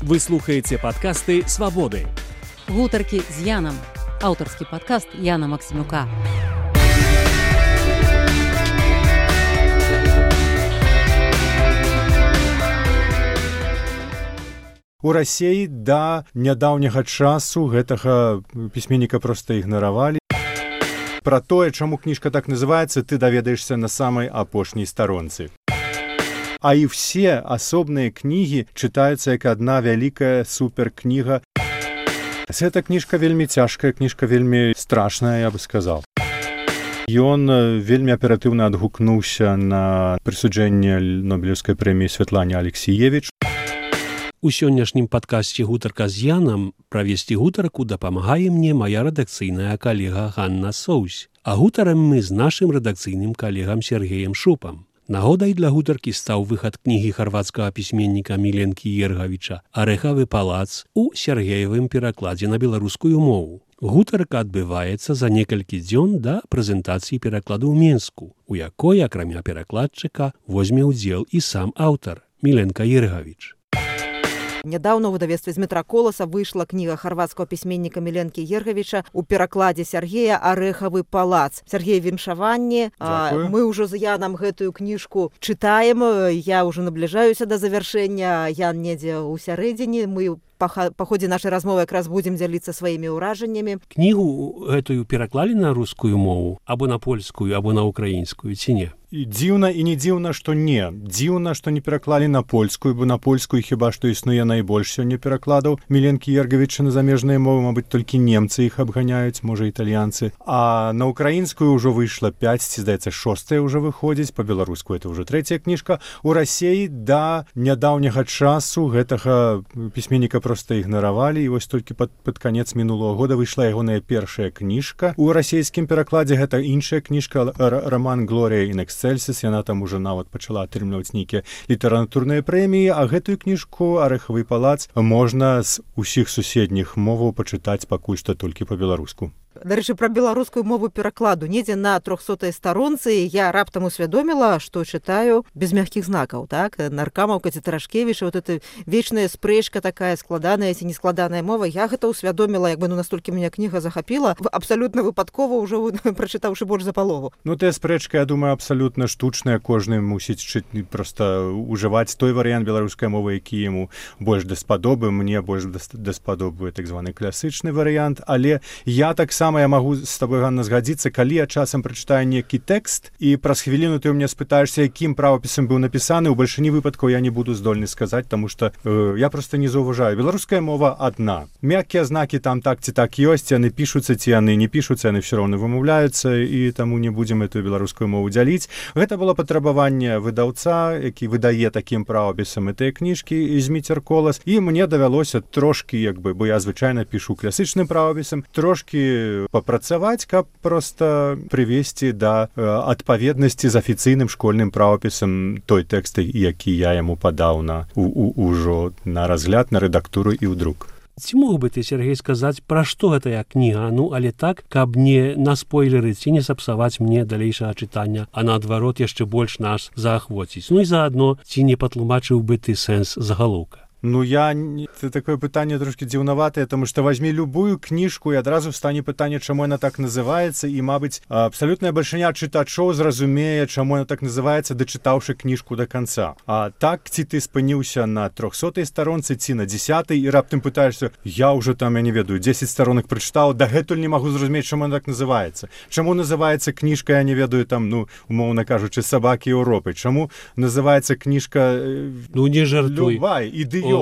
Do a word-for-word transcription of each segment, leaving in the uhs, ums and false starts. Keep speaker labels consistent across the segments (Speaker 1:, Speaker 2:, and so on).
Speaker 1: Вы слухаеце падкасты «Свабоды».
Speaker 2: Гутаркі з Янам. Аўтарскі падкаст Яна Максімюка.
Speaker 3: У Расіі да нядаўняга часу гэтага пісьменніка проста ігнаравалі. Пра тое, чаму кніжка так называецца, ты даведаешся на самай апошняй старонцы. А і все асобныя кнігі чытаюцца як адна вялікая суперкніга. Гэта кніжка вельмі цяжкая, кніжка вельмі страшная, я бы сказаў. Ён вельмі аператыўна адгукнуўся на прысуджэнне Нобелеўскай прэміі Святлане Алексіевіч.
Speaker 1: У сённяшнім падкасці «Гутарка з Янам» правесці гутарку дапамагае мне мая рэдакцыйная калега Ганна Соўсь. А гутарам мы з нашым рэдакцыйным калегам Сергеем Шупам. Нагодай для гутаркі стаў выхад кнігі харвацкага пісьменніка Міленкі Ергавіча «Арэхавы палац» у Сергеевым перакладзе на беларускую мову. Гутарка адбываецца за некалькі дзён да прэзентацыі перакладу ў Менску, у якой, акрамя перакладчыка, возьме ўдзел і сам аўтар Міленка Ергавіч.
Speaker 4: Нядаўна ў выдавецтве Змітра Коласа выйшла кніга харвацкага пісьменніка Міленкі Ергавіча у перакладзе Сергея «Арэхавы палац». Сергей, віншаванне. Мы ўжо з Янам гэтую кніжку чытаем. Я ўжо набліжаюся да завяршэння. Ян недзе ў сярэдзіне. Мы па ходзе нашай размовы якраз будзем дзяліцца сваімі ўражаннямі.
Speaker 1: Кнігу гэтую пераклалі на рускую мову, або на польскую, або на украінскую, ці не?
Speaker 3: І дзіўна і не дзіўна, што не. Дзіўна, што не пераклалі на польскую, бо на польскую хіба што існуе найбольш сёння перакладаў Міленкі Ергавіча на замежныя мовы, мабыць, толькі немцы іх абганяюць, можа, італьянцы. А на украінскую ўжо выйшла пяць, ці, здаецца, шостая ўжо выходзіць, па-беларуску это ўжо трэцяя кніжка. У Расіі да нядаўняга часу гэтага пісьменніка проста ігнаравалі, і вось толькі пад, пад канец мінулого года выйшла ягоная першая кніжка. У расійскім перакладзе гэта іншая кніжка, раман «Глорія ін эксцельсіс», яна там уже нават пачала атрымліваць нейкія літаратурныя прэміі, а гэтую кніжку «Арэхавы палац» можна з усіх суседніх моваў пачытаць пакуль што толькі па-беларуску.
Speaker 4: Дарэчы, пра беларускую мову перакладу. Недзе на трохсотай старонцы я раптам усвядоміла, што чытаю без мягкіх знакаў, так? Наркамаўка ці Тарашкевіча, вот эта вечная спрэчка такая складаная ці нескладаная мова. Я гэта усвядоміла, як бы, ну, настолькі мяне кніга захапіла, абсалютна выпадкова ўжо прачытаўшы больш за палову.
Speaker 3: Ну, тая спрэчка, я думаю, абсалютна штучная. Кожны мусіць чыць, проста ўжываць той варыянт беларускай мовы, які яму больш даспадобы. Мне больш даспадобы так званы класычны варыянт, але я таксама Сама я магу з табой, Ганна, згадзіцца, калі я часам прачытаю нейкі тэкст, і праз хвіліну ты ў мяне спытаешся, якім правапісам быў напісаны, у бальшыні выпадкаў я не буду здольны сказаць, таму што э, я проста не заўважаю. Беларуская мова адна. Мяккія знакі там так ці так ёсць, яны пішуцца ці яны не пішуцца, яны ўсё роўна вымаўляюцца, і таму не будзем эту беларускую мову дзяліць. Гэта было патрабаванне выдаўца, які выдае такім правапісам гэтыя кніжкі і Змітер Колас, і мне давялося трошкі, як бы, бо я звычайна пішу класічным правапісам, трошкі папрацаваць, каб проста прывесці да э, адпаведнасці з афіцыйным школьным правапісам той тэкст, які я яму падаў на, у, у, ужо на разгляд, на рэдактуру і ў друк.
Speaker 1: Ці мог бы ты, Сергей, сказаць, пра што гэтая кніга, ну, але так, каб не наспойлерыць ці не сапсаваць мне далейшага чытання, а наадварот яшчэ больш нас заахвоціць. Ну і заадно, ці не патлумачыў бы ты сэнс загалоўка?
Speaker 3: Ну, я... Это такое пытанне трошки дзіўнаватае, тому што возьми любую кніжку і адразу стане пытанне, чаму яна так называецца, і, мабыць, абсалютная бальшыня чытачоў зразумее, чаму яна так называецца, дачытаўшы кніжку да канца. А так, ці ты спыніўся на трохсотай старонцы, ці на дзесятай, і раптам пытаешся, я ўжо там, я не ведаю, дзесяць старонак прачытаў, дагэтуль не магу зразумець, чаму яна так называецца. Чаму называецца кніжка, я не ведаю, там, ну, умоўна кажучы, «Сабакі Еўропы». Чаму называецца кніжка...
Speaker 1: Ну, не жартуй.
Speaker 3: Любай, ідэёт.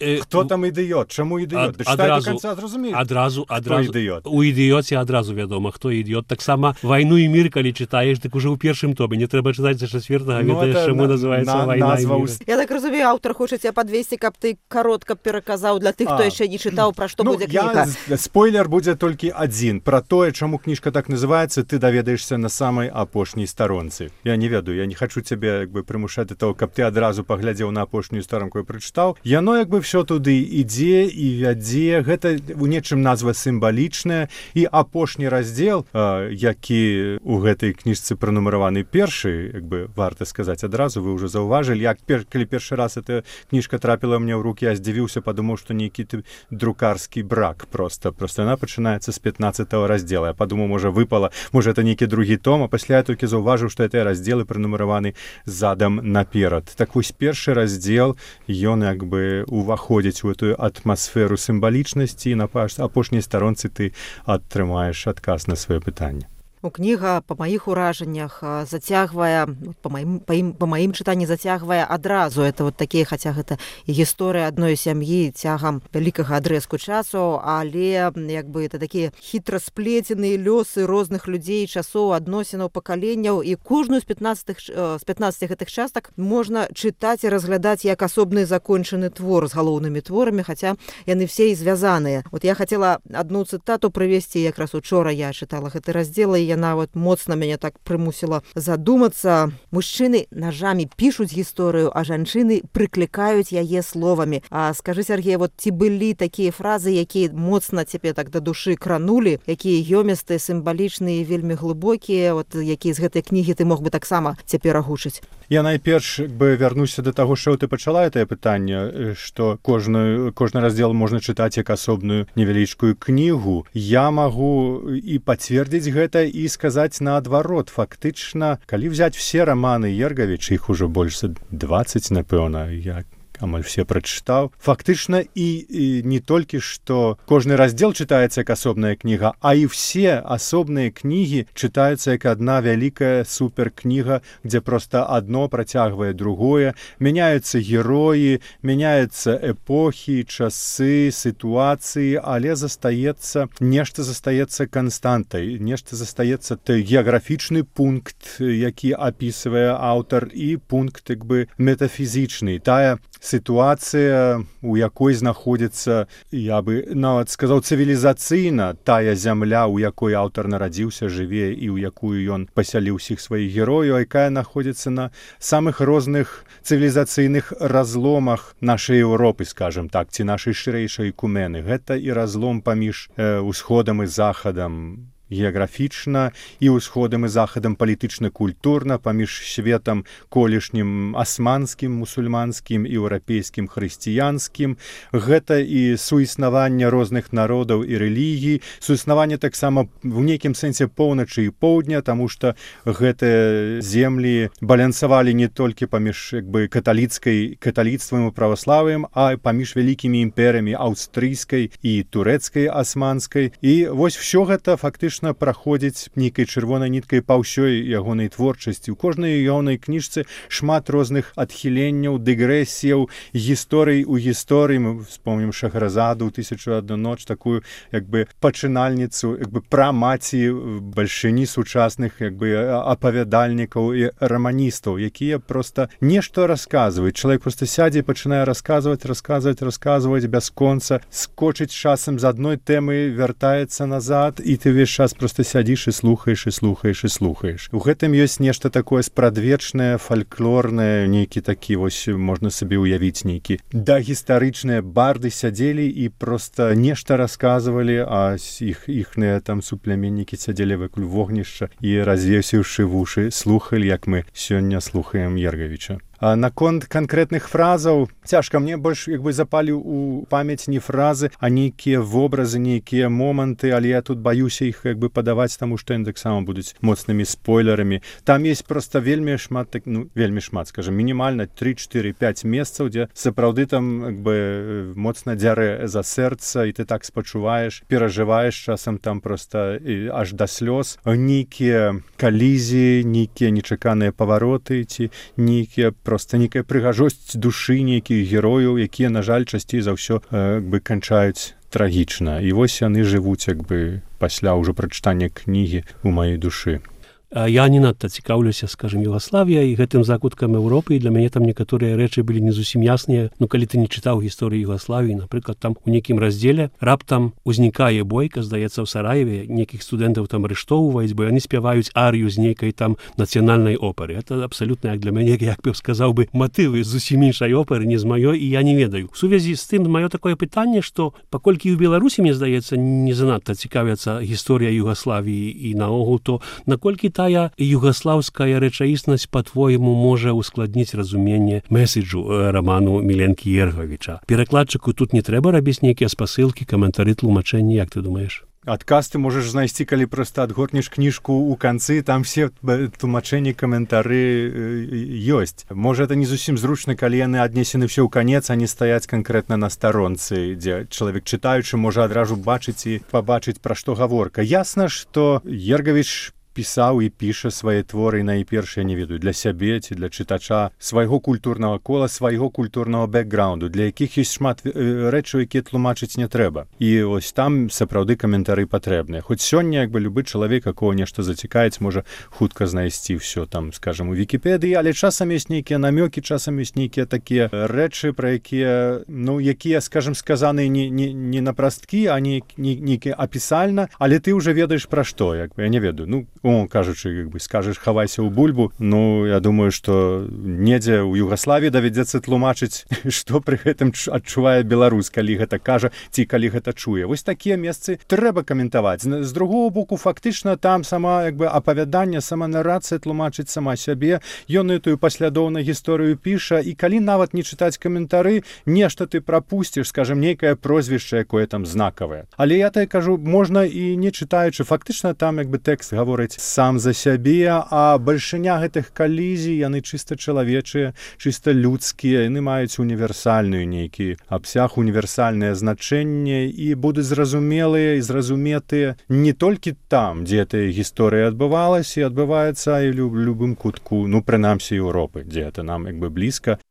Speaker 3: Хто там ідыёт? Чаму ідыёт? Дачытай до канца, зразумееш.
Speaker 1: Адразу, адразу. У ідыёце адразу вядома, хто ідыёт. Таксама «Вайну і мір», калі чытаеш, так уже ў першым томе. Не трэба чытаць за чацвёртага, ведаеш, чаму называецца «Вайна і мір».
Speaker 4: Я так разумею, аўтар хоча цябе падвесці, каб ты каротка пераказаў для тых, хто яшчэ не чытаў, пра што будзе кніга.
Speaker 3: Спойлер будзе толькі адзін. Пра тое, чаму кніжка так называецца, ты даведаешся на самай апошняй старонцы. Я не ведаю, я не хачу цябе, як бы, прымушаць да таго, каб ты адразу паглядзеў на апошнюю старонку і прачытаў. Яно, як бы, ўсё туды ідзе і вядзе. Гэта у нечым назва сімвалічная. І апошні раздзел, які у гэтай кніжцы пранумараваны першы, як бы варта сказаць адразу, вы ўжо заўважылі, як пер, калі першы раз эта кніжка трапіла мне ў рукі, я здзівіўся, падумаў, што нейкі друкарскі брак просто. Просто яна пачынаецца з пятнаццатага раздзела. Я падумаў, можа, выпала, можа, это нейкі другі том, а пасля я толькі заўважыў, што гэтыя раздзелы пранумараваны задам наперад. Так вось першы раздзел, ён як бы уваходзіць у эту атмасферу сімвалічнасці, і на апошняй старонцы ты атрымаеш адказ на сваё пытанне.
Speaker 4: У кніга па маіх уражаннях зацягвае, па маім, па ім, па маім чытанні зацягвае адразу. Это вот такія, хаця гэта і гісторыя адной сям'і цягам вялікага адрэзку часу, але як бы это такія хітра сплеценыя лёсы розных людзей, часоў, адносінаў, пакаленняў, і кожную з пятнаццати з пятнаццати гэтых частак можна чытаць і разглядаць як асобны закончаны твор з галоўнымі творамі, хаця яны все і звязаныя. Вот я хацела адну цытату прывесці, якраз учора я чытала гэты раздзел, і яна вот моцна мяне так прымусіла задумацца. Мужчыны нажамі пішуць гісторыю, а жанчыны прыклікаюць яе словамі. А скажы, Сергей, вот ці былі такія фразы, якія моцна цябе так да душы кранулі, якія ёмістыя, сімвалічныя, вельмі глыбокія, вот якія з гэтай кнігі ты мог бы таксама цяпер агучыць?
Speaker 3: Я найперш бы вярнуся да таго, што ты пачала гэтае пытанне, што кожны, кожны раздзел можна чытаць як асобную невялічкую кнігу. Я магу і пацвердзіць гэта, і сказаць наадварот. Фактычна, калі взять все романы Ергавіча, іх ужо больш за дваццаць, напэўна, я амаль все прачытаў. Фактычна і, і не толькі што кожны раздзел чытаецца як асобная кніга, а і все асобныя кнігі чытаюцца як адна вялікая суперкніга, дзе проста адно працягвае другое. Мяняюцца героі, мяняюцца эпохі, часы, сітуацыі, але застаецца, нешта застаецца канстантай, нешта застаецца той геаграфічны пункт, які апісвае аўтар, і пункт як бы метафізічны. Тая сітуацыя, у якой знаходзіцца, я бы нават сказаў, цывілізацыйна тая зямля, у якой аўтар нарадзіўся, жыве, і ў якую ён пасяліў усіх сваіх герояў, якая знаходзіцца на самых розных цывілізацыйных разломах нашай Еўропы, скажем так, ці нашай шырэйшай кумены. Гэта і разлом паміж э, усходам і захадам, геаграфічна, і ўсходам і захадам палітычна-культурна, паміж светам колішнім асманскім, мусульманскім, еўрапейскім, хрысціянскім. Гэта і суіснаванне розных народаў і рэлігій, суіснаванне таксама в нейкім сэнсе поўначы і поўдня, таму што гэтыя землі балансавалі не толькі паміж як бы каталіцкай каталіцтвам і праваславіем, а паміж вялікімі імперыямі аўстрыйскай і турэцкай асманскай. І вось всё гэта фактычна праходзіць нейкай чырвонай ніткай па ўсёй ягонай творчасці. У кожнай ягонай кніжцы шмат розных адхіленняў, дыгрэсіяў, гісторый у гісторыі. Мы вспомнім Шахразаду ў тысячу адну ноч, такую як бы пачынальніцу, як бы прамаці бальшыні сучасных як бы апавядальнікаў і раманістаў, якія проста нешта расказваюць. Чалавек проста сядзе і пачынае расказваць, расказваць, расказваць бясконца, скочыць часам з адной тэмы, вяртаецца назад, і ты ўвесь час просто сядзіш і слухаеш, і слухаеш, і слухаеш. У гэтым ёсць нешта такое спрадвечнае, фальклорнае, нейкі такі, вось можна сабе ўявіць нейкі. Дагістарычныя барды сядзелі і проста нешта расказвалі, а іх, іхныя там суплеменнікі сядзелі вакол вогнішча і, развесіўшы вушы, слухалі, як мы сёння слухаем Ергавіча. А наконт канкрэтных фразаў, цяжка, мне больш як бы запалі ў памяць не фразы, а нейкія вобразы, нейкія моманты, але я тут баюся іх як бы падаваць, таму што яны таксама будуць моцнымі спойлерамі. Там есть проста вельмі шмат, ну, вельмі шмат, скажем, мінімальна тры, чатыры, пяць месцаў, дзе сапраўды там як бы моцна дзярэ за сэрца, і ты так спачуваеш, перажываеш часам там проста аж да слёз. Нейкія калізіі, нейкія нечаканыя павароты, ці нейкія просто нейкая прыгажосць душы нейкіх герояў, якія, на жаль, часцей за ўсё э, бы канчаюць трагічна. І вось яны жывуць як бы пасля ўжо прачытання кнігі ў маёй душы.
Speaker 1: я не надта цікаўлюся, скажем, Югаславія і гэтым закуткам Еўропы, і для мяне там некаторыя рэчы былі не зусім ясныя. Ну, калі ты не чытаў гісторыю Югаславіі, напрыклад, там у нейкім раздзеле раптам узнікае бойка, здаецца, ў Сараеве, нейкіх студэнтаў там арыштоўваюць, бо яны спяваюць арыю з нейкай там нацыянальнай оперы. Это абсалютна, як для мяне, як бы сказаў бы, матывы зусім іншай оперы, не з маёй, і я не ведаю. У сувязі з тым, маё такое пытанне, што паколькі ў Беларусі, мне здаецца, не занадта цікавяцца гісторыя Югаславіі і наогул, то наколькі тая югаслаўская рэчаіснасць, па-твойму, можа ускладніць разуменне меседжу раману Міленкі Ергавіча. Перакладчыку тут не трэба рабіць нейкія спасылкі, каментары, тлумачэнні, як ты думаеш?
Speaker 3: Адказ ты можаш знайсці, калі проста адгорнеш кніжку ў канцы, там все тлумачэнні, каментары ёсць. Можа, это не зусім зручна, калі яны аднесены ўсё ў канец, а не стаяць канкрэтна на старонцы, дзе чалавек чытаючы можа адразу бачыць і пабачыць, пра што гаворка. Ясна, што Ергавіч пісаў і піша свае творы найперш, я не ведаю, для сябе ці для чытача свайго культурнага кола, свайго культурнага бэкграунду, для якіх ёсць шмат рэчаў, якія тлумачыць не трэба. І ось там сапраўды каментары патрэбныя. Хоць сёння, як бы, любы чалавек, якого нешта зацікавіць, можа хутка знайсці ўсё там, скажам, у Вікіпедыі, але часам ёсць нейкія намёкі, часам ёсць нейкія такія рэчы, пра якія, ну, якія, скажам, сказаны не, не, не на прасткі, а не нейкія апісальна, але ты ўжо ведаеш пра што, як бы, я не ведаю. Ну, о, кажучы, як бы, скажаш, хавайся ў бульбу, ну, я думаю, што недзе ў Югаславіі давядзецца тлумачыць, што пры гэтым адчувае беларус, калі гэта кажа, ці калі гэта чуе. Вось такія месцы трэба каментаваць. З другого боку, фактычна, там сама, як бы, апавяданне, сама нарацыя тлумачыць сама сябе, ён этую паслядоўна гісторыю піша, і калі нават не чытаць каментары, нешта ты прапусціш, скажем, нейкае прозвішча, якое там знакавае. Але я так кажу, можна і не чытаючы, фактычна там, як бы, тэкст гаворыць сам за сябе, а бальшыня гэтых калізій, яны чыста чалавечыя, чыста людскія, яны маюць універсальную нейкі абсяг, універсальнае значэнне і будуць зразумелыя і зразуметыя не толькі там, дзе эта гісторыя адбывалася і адбываецца і ў любым кутку, ну, прынамсі, Еўропы, дзе это нам, як бы, блізка.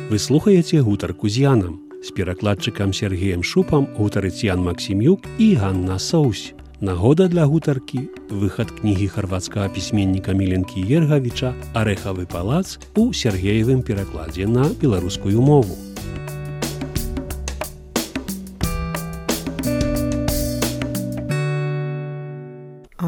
Speaker 1: Вы слухаеце гутарку з Янам. З перакладчыкам Сергеем Шупам гутарыць Ян Максімюк і Ганна Соусь. Нагода для гутаркі – выхад кнігі харвацкага пісьменніка Міленкі Ергавіча «Арэхавы палац» у Сергеевым перакладзе на беларускую мову.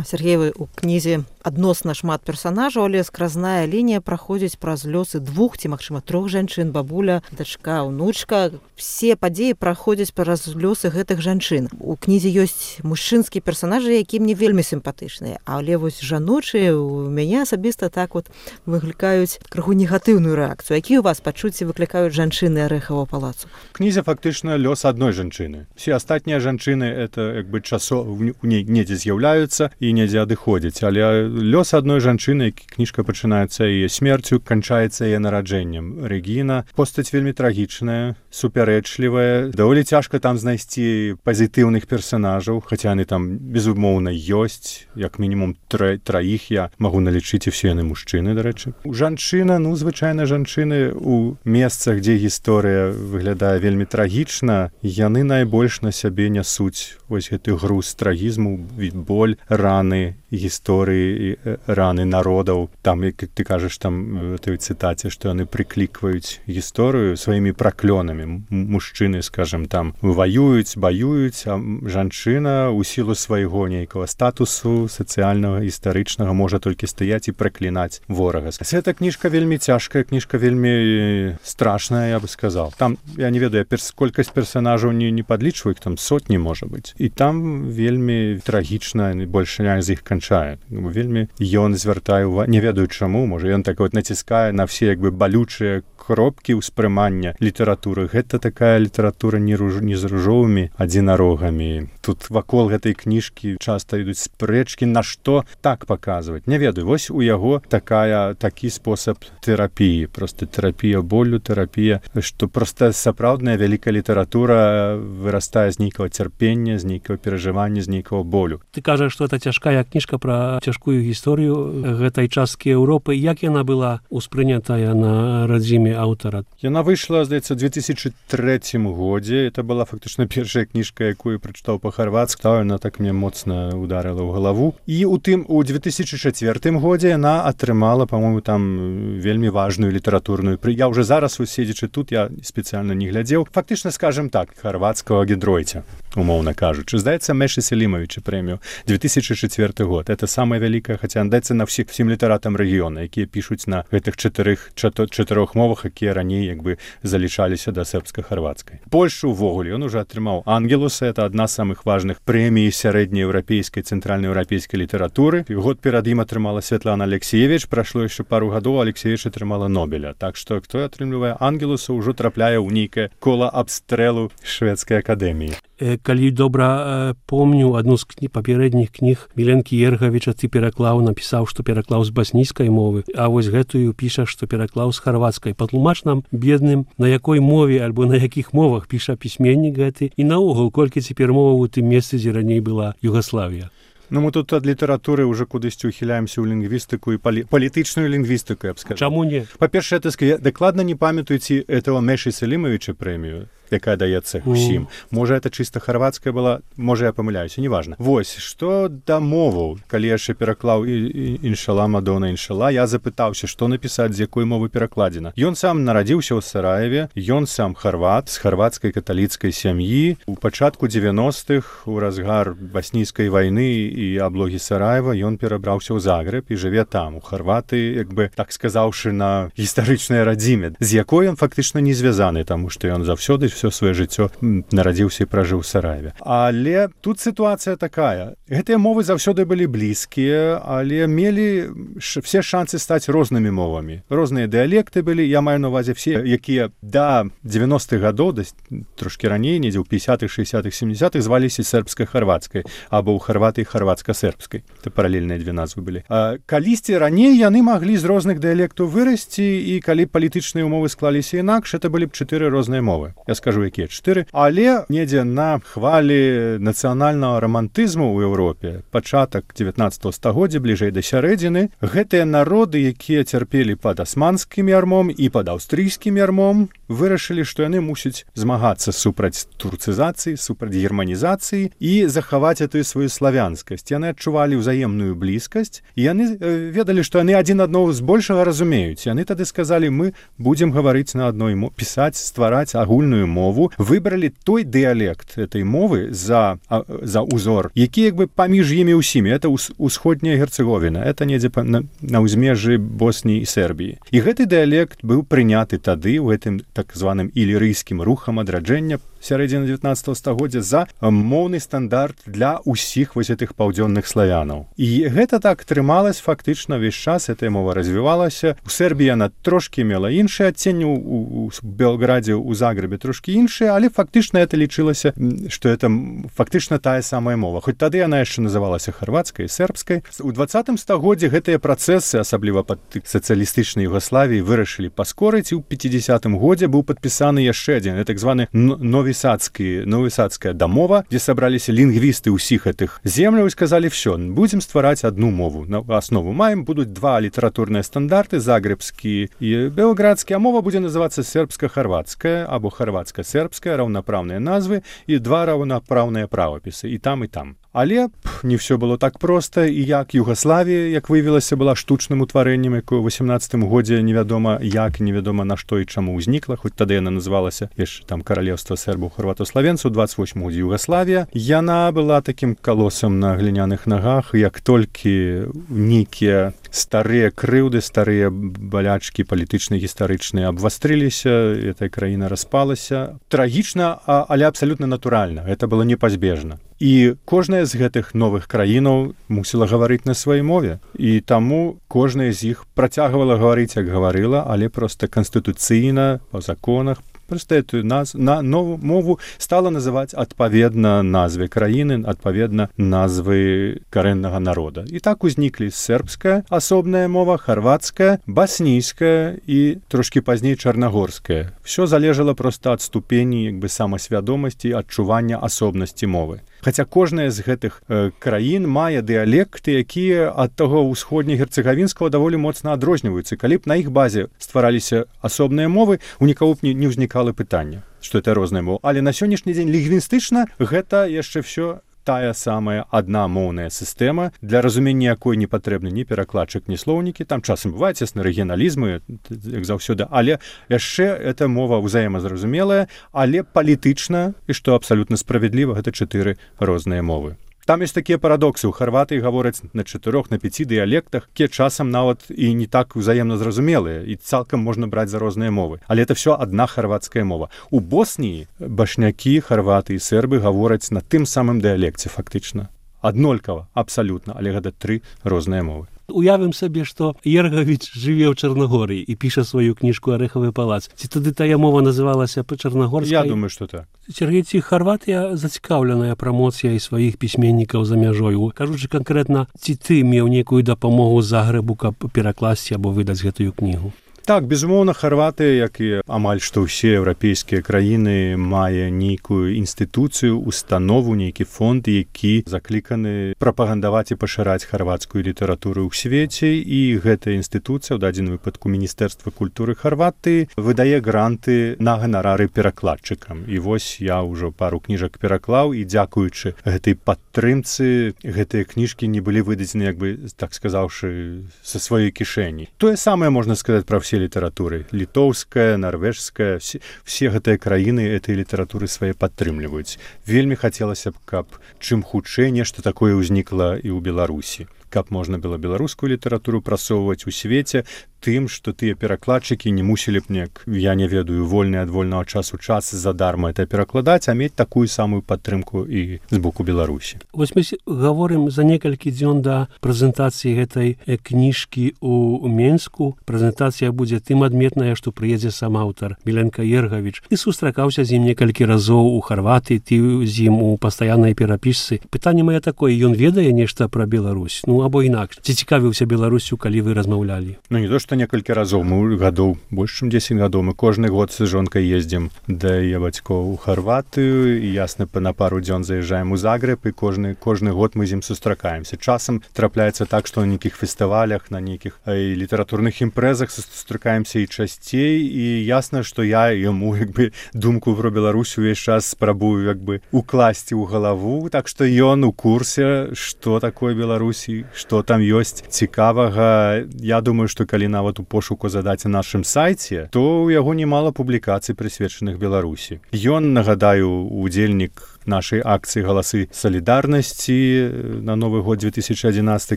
Speaker 4: Сергеевы, у кнізе адносна шмат персанажаў, але скразная лінія праходзіць праз лёсы двух ці, магчыма, трох жанчын, бабуля, дачка, унучка. Все падзеі праходзяць праз лёсы гэтых жанчын. У кнізе ёсць мужчынскія персанажы, якія мне вельмі сімпатычныя, але вось жаночыя у мяне асабіста так вот выклікаюць крыху негатыўную рэакцыю. Якія у вас пачуцці выклікаюць жанчыны Арэхавага палацу?
Speaker 3: Кнізе фактычна лёс адной жанчыны. Все астатнія жанчыны это, як бы, часо недзе з'яўляюцца і недзе адыходзіць, але лёс адной жанчыны, кніжка пачынаецца яе смерцю, канчаецца яе нараджэннем. Рэгіна, постаць вельмі трагічная, супярэчлівая, даволі цяжка там знайсці пазітыўных персанажаў, хаця яны там безумоўна ёсць, як мінімум траіх я магу налічыць, і все яны мужчыны, дарэчы. Жанчына, ну, звычайна жанчыны у месцах, дзе гісторыя выглядае вельмі трагічна, яны найбольш на сябе нясуць вось гэты груз трагізму, боль, раны гісторыі, раны народаў. Там, як ты кажаш там у той цытаце, што яны прыклікваюць гісторыю сваімі праклёнамі. Мужчыны, скажем, там ваююць, баююць, а жанчына ў сілу свайго нейкага статусу сацыяльнага, гістарычнага можа толькі стаяць і праклінаць ворага. Гэта кніжка вельмі цяжкая, кніжка вельмі страшная, я бы сказал. Там, я не ведаю, перс... колькасць персанажаў не, не падлічваю, там сотні, можа быць. І там вельмі трагічна, большая з іх канчае. Вельмі ён звяртае увагу, не ведаю чаму, можа ён так вот націскае на все, як бы, балючыя кропкі ўспрымання літаратуры. Гэта такая літаратура не, руж... не з ружовымі адзінарогамі. Тут вакол гэтай кніжкі часта ідуць спрэчкі, на што так паказваць. Не ведаю, вось у яго такая, такі спосаб тэрапіі, проста тэрапія болю, тэрапія, што проста сапраўдная вялікая літаратура вырастае з нейкага цярпення, з нейкага перажывання, з нейкага болю.
Speaker 1: Ты кажаш, што это цяжкая кніжка пра цяжкую гісторыю гэтай часткі Еўропы. Як яна была ўспрынятая на радзіме аўтара?
Speaker 3: Яна выйшла, здаецца, у две тысячи третьем годзе. Это была фактычна першая кніжка, якую прачытаў па-харвацку. Яна так мне моцна ударила ў галаву. І у тым у две тысячи четвёртым годзе яна атрымала, па-моему, там вельмі важную літаратурную. Я уже зараз седзячы тут, я спецыяльна не глядзеў. Фактычна, скажем так, харвацкага Гідройця, умоўна кажучы. Здаецца, Мэши Селімовича прэмію. две тысячи четвёрты год. Это самая вялікая, хаця даецца на всіх всім літаратам рэгіёна, якія пішуць на гэтых чатырых чатырох мовах, якія раней як бы залічаліся да сербска-харвацкай. Польшу ўвогуле ён уже атрымаў Ангелуса, это адна з самых важных прэмій сярэднееўрапейскай цэнтральнаеўрапейскай літаратуры. Год перад ім атрымала Святлана Алексеевич, прайшло яшчэ пару гадоў, Алексеевич атрымала Нобеля. Так што хто атрымлівае Ангелуса, ўжо трапляе ў нейкае кола абстрэлу шведскай акадэміі.
Speaker 1: Калі добра помню, адну з кні, папярэдніх кніг Міленкі Ергавіча ты пераклаў, напісаў, што пераклаў з баснійскай мовы, а вось гэтую піша, што пераклаў з харвацкай. Патлумач нам, бедным, на якой мове альбо на якіх мовах піша пісьменнік гэты, і наогул, колькі цяпер моваў у тым месцы, дзе раней была Югаславія.
Speaker 3: Ну, мы тут ад літаратуры ўжо кудысьці ўхіляемся ў лінгвістыку і палі... палітычную лінгвістыку, я б сказаў.
Speaker 1: Чаму не?
Speaker 3: Па-першае, я дакладна не памятаю ці этого Мэши Селімовича прэмію, якая даецца ўсім. Mm. Можа, это чыста харвацкая была, можа, я памыляюся, неважна. Вось, што да моваў, калі я яшчэ пераклаў «Іншала, Мадона, іншала», я запытаўся, што напісаць, з якой мовы перакладзена. Ён сам нарадзіўся ў Сараеве, ён сам харват, з харвацкай каталіцкай сям'і. У пачатку дзевяностых, у разгар баснійскай вайны і аблогі Сараева, ён перабраўся ў Загрэб і жыве там, у Харваты, як бы, так сказаўшы, на гістарычнай радзіме, з якой ён фактычна не звязаны, таму што ён заўсёды ўсё сваё жыццё нарадзіўся і пражыў у Сараеве. Але тут сітуацыя такая. Гэтыя мовы заўсёды былі блізкія, але мелі ш... все шансы стаць рознымі мовамі. Розныя дыялекты былі, я маю на ўвазе все, якія да дзевяностых гадоў, да, трошкі раней, недзе ў пятьдесятых, шестидесятых, семидесятых зваліся сербска-харвацкай, або ў Харватыі харвацка-сербскай. Это паралельныя две назвы былі. А калісьці раней яны маглі з розных дыялектаў вырасці, і калі палітычныя умовы склаліся інакш, это былі б чатыры розныя мовы. Я скажу, якія чатыры. Але недзе на хвалі нацыянальнага рамантызму ў Еўропе, пачатак дзевятнаццатага стагоддзя, бліжэй да сярэдзіны, гэтыя народы, якія цярпелі пад асманскім ярмом і пад аўстрыйскім ярмом, вырашылі, што яны мусяць змагацца супраць турцызацыі, супраць германізацыі і захаваць эту сваю славянскасць. Яны адчувалі ўзаемную блізкасць, і яны э, ведалі, што яны адзін аднаго збольшага разумеюць. Яны тады сказалі, мы будзем гаварыць на адной мове, пісаць, ствараць агульную мову, выбралі той дыялект этой мовы за, а, за узор, які як бы паміж імі ўсімі. Это усходняя Герцеговіна, это недзе на, на ўзмежжы Босніі і Сербіі. І гэты дыялект быў прыняты тады ў гэтым так званым ілірыйскім рухам адраджэння сярэдзіны дзевятнаццатага стагоддзя за моўны стандарт для ўсіх вось гэтых паўдзённых славянаў. І гэта так трымалась фактычна ўвесь час, эта мова развівалася. У Сербіі яна трошкі мела іншае адценне, у, у Белградзе, у Загрэбе трошкі іншае, але фактычна это лічылася, што это фактычна тая самая мова. Хоць тады яна яшчэ называлася харвацкай, сербскай. У двадцатым стагоддзі гэтыя працэсы, асабліва пад сацыялістычнай Югаславіі, вырашылі паскорыць, і ў пяцідзясятым годзе быў падпісаны яшчэ адзін, так званы новы новісадская дамова, дзе сабраліся лінгвісты ўсіх гэтых земляў і сказалі, все, будзем ствараць адну мову. На аснову маем, будуць два літаратурныя стандарты, загрэбскі і белградскі, а мова будзе называцца сербска-харвацкая або харвацка-сербская, раўнапраўныя назвы і два раўнапраўныя правапісы, і там, і там. Але пф, не все было так проста, і як Югаславія, як выявілася, была штучным утварэннем, якое ў восемнадцатым годзе невядома як, невядома на што і чаму ўзнікла, хоць тады яна называлася яшчэ там каралеўства сербаў, харватославенцаў, у двадцать восьмым годзе Югаславія. Яна была такім калосам на гліняных нагах, як толькі нейкія старыя крыўды, старыя балячкі палітычныя, гістарычныя абвастрыліся, эта краіна распалася. Трагічна, але абсалютна натуральна. Гэта было непазбежна. І кожная з гэтых новых краінаў мусіла гаварыць на сваёй мове. І таму кожная з іх працягвала гаварыць, як гаварыла, але проста канстытуцыйна, па законах, проста эту наз... на новую мову стала называць адпаведна назве краіны, адпаведна назвы карэннага народа. І так узніклі сербская асобная мова, харвацкая, баснійская і трошкі пазней чарнагорская. Всё залежала проста ад ступені як бы самасвядомасці, адчування асобнасці мовы. Хаця кожная з гэтых э, краін мае дыялекты, якія ад таго ўсходне-герцагавінскага даволі моцна адрозніваюцца. Калі б на іх базе ствараліся асобныя мовы, у нікого б не, не ўзнікала пытання, што это розныя мовы. Але на сённяшні дзень лінгвістычна гэта яшчэ ўсё тая самая адна моўная сістэма, для разумення якой не патрэбны ні перакладчык, ні слоўнікі. Там часам бываюць ясны рэгіяналізмы, як заўсёды, але яшчэ эта мова ўзаемазразумелая, але палітычна, і што абсалютна справядліва, гэта чатыры розныя мовы. Там ёсць такія парадоксы. У Харватыі гавораць на чатырох, на пяці дыялектах, якія часам нават і не так узаемна зразумелыя, і цалкам можна браць за розныя мовы. Але это все адна харвацкая мова. У Босніі башнякі, харваты і сербы гавораць на тым самым дыялекце фактычна. Аднолькава, абсалютна, але гэта тры розныя мовы.
Speaker 1: Уявім сабе, што Ергавіч жыве ў Чарнагорыі і піша сваю кніжку «Арэхавы палац». Ці тады тая мова называлася па-чарнагорскай?
Speaker 3: Я думаю, што так.
Speaker 1: Сергей, ці Харватыя зацікаўленая прамоцыяй сваіх пісьменнікаў за мяжою? Кажучы канкрэтна, ці ты меў нейкую дапамогу Загрэбу, каб перакласці або выдаць гэтую кнігу?
Speaker 3: Так, безумоўна, Харватыя, як і амаль што ўсе еўрапейскія краіны, мае нейкую інстытуцыю, установу, нейкі фонд, які закліканы прапагандаваць і пашыраць харвацкую літаратуру ў свеце, і гэтая інстытуцыя, ў дадзеным выпадку Міністэрства культуры Харватыі, выдае гранты на ганарары перакладчыкам. І вось я ўжо пару кніжак пераклаў, і дзякуючы гэтай падтрымцы, гэтыя кніжкі не былі выдадзены, як бы, так сказаўшы, са сваёй кішэні. Тое самае можна сказаць пра все літаратуры. Літоўская, нарвежская, все, все гэтыя краіны этой літаратуры свае падтрымліваюць. Вельмі хацелася б, каб чым хутчэй нешта такое ўзнікла і ў Беларусі. Каб можна было беларускую літаратуру прасоўваць у свеце тым, што тыя перакладчыкі не мусілі б неяк, я не ведаю, вольны ад вольнага часу час задарма это перакладаць, а мець такую самую падтрымку і з боку Беларусі.
Speaker 1: Вось мы гаворым за некалькі дзён да прэзентацыі гэтай кніжкі ў Менску. Прэзентацыя будзе тым адметная, што прыедзе сам аўтар Міленка Ергавіч. Ты сустракаўся з ім некалькі разоў у Харватыі, ты з ім у пастаяннай перапісцы. Пытанне мае такое, ён ведае нешта пра Беларусь? Ну, або інакш. Ці цікавіўся Беларусю, калі вы размаўлялі?
Speaker 3: Ну, не то, што некалькі разоў. Мы гадоў, больш чым дзесяць гадоў. Мы кожны год з жонкай ездзім да яе бацькоў у Харватыю, і ясна, на пару дзён заязджаем у Загрэб, і кожны, кожны год мы з ім сустракаемся. Часам трапляецца так, што на нейкіх фестывалях, на нейкіх і літаратурных імпрэзах сустракаемся і часцей, і ясна, што я яму, як бы, думку пра Беларусь увесь час спрабую, як бы, укласці ў галаву, так што ён у курсе, што такое Беларусі, што там ёсць цікавага. Я думаю, што калі нават у пошуку задаць на нашым сайце, то ў яго немала публікацый, прысвечаных Беларусі. Ён, нагадаю, удзельнік нашай акцыі «Галасы салідарнасці» на Новы год две тысячи адзінаццаты,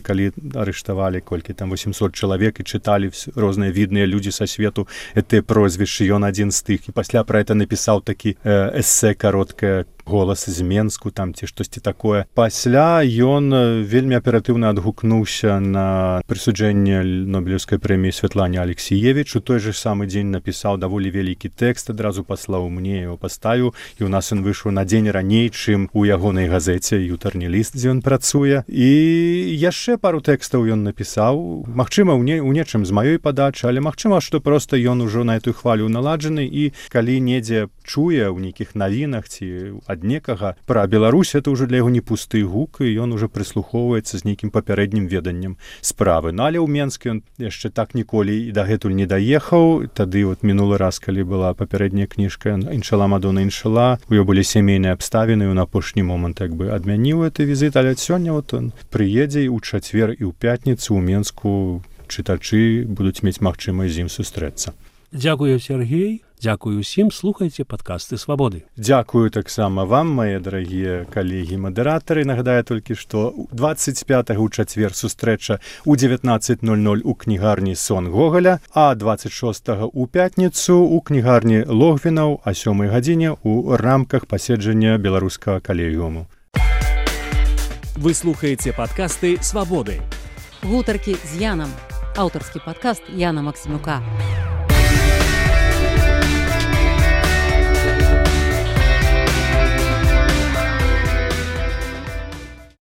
Speaker 3: калі арыштавалі колькі там восемьсот чалавек і чыталі розныя відныя людзі са свету гэтыя прозвішчы. Ён адзін з тых. І пасля пра гэта напісаў такі э, эсэ кароткае «Голас з Менску», там ці штосьці такое. Пасля ён вельмі аператыўна адгукнуўся на прысуджэнне Нобелеўскай прэміі Святлане Алексіевіч. У той же самы дзень напісаў даволі вялікі тэкст, адразу паслаў мне, яго паставіў, і ў нас ён выйшаў на дзень раней, чым у ягонай газеце «Ютарні ліст», дзе ён працуе. І яшчэ пару тэкстаў ён напісаў. Магчыма, у, не, у нечым з маёй падачы, але магчыма, што проста ён ужо на эту хвалю наладжаны, і калі недзе чуе ў нейкіх навінах ці ад некага пра Беларусь, это ўжо для яго не пусты гук, і ён ужо прыслухоўваецца з нейкім папярэднім веданнем справы. Ну, але ў Менскі ён яшчэ так ніколі і дагэтуль не даехаў. Тады вот мінулы раз, калі была папярэдняя кніжка «Іншала Мадона Іншала», у яго былі сямейныя абставіны, і на апошні момант як бы адмяніў гэты візіт, але сёння вот он прыедзе ў чацвер і ў пятніцу ў Менску. Чытачы будуць мець магчымасць з ім сустрэцца.
Speaker 1: Дзякую, Сергей. Дзякую ўсім. Слухайце падкасты «Свабоды».
Speaker 3: Дзякую таксама вам, мае дарагія калегі-мадэратары. Нагадаю толькі, што двадцать пятага ў чацвер сустрэча ў дзевятнаццаць ноль ноль у кнігарні «Сон Гоголя», а двадцать шостага ў пятніцу ў кнігарні Логвінаў а сёмай гадзіне ў рамках паседжання беларускага калегіуму.
Speaker 5: Вы слухаеце падкасты «Свабоды».
Speaker 2: Гутаркі з Янам. Аўтарскі падкаст Яна Максімюка.